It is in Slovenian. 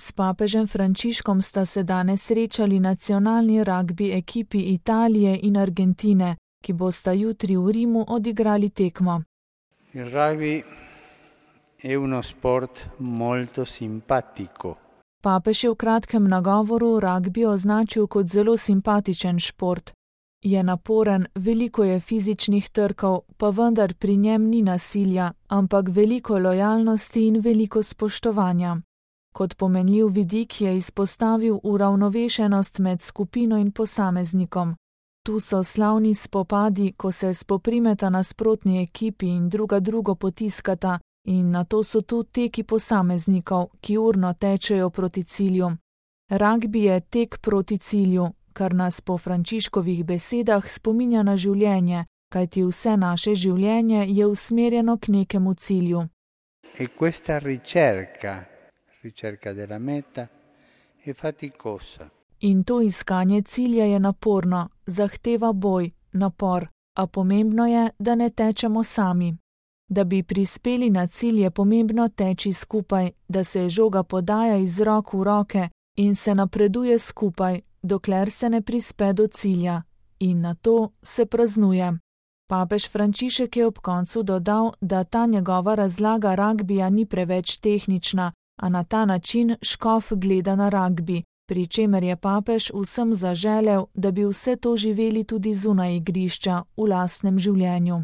S papežem Frančiškom sta se danes srečali nacionalni ragbi ekipi Italije in Argentine, ki bosta jutri v Rimu odigrali tekmo. Il rugby è uno sport molto simpatico. Papež je v kratkem nagovoru ragbi označil kot zelo simpatičen šport. Je naporen, veliko je fizičnih trkov, pa vendar pri njem ni nasilja, ampak veliko lojalnosti in veliko spoštovanja. Kot pomenljiv vidik je izpostavil uravnovešenost med skupino in posameznikom. Tu so slavni spopadi, ko se spoprimeta nasprotni ekipi in drugo potiskata, in nato so tu teki posameznikov, ki urno tečejo proti cilju. Ragbi je tek proti cilju, kar nas po Frančiškovih besedah spominja na življenje, kajti vse naše življenje je usmerjeno k nekemu cilju. E questa ricerca della meta è faticosa. In to iskanje cilja je naporno, zahteva boj, napor, a pomembno je, da ne tečemo sami. Da bi prispeli na cilj, je pomembno teči skupaj, da se žoga podaja iz rok v roke in se napreduje skupaj, dokler se ne prispe do cilja, in nato se praznuje. Papež Frančišek je ob koncu dodal, da ta njegova razlaga ragbija ni preveč tehnična, a na ta način škof gleda na ragbi, pri čemer je papež vsem zaželel, da bi vse to živeli tudi zunaj igrišča, v lastnem življenju.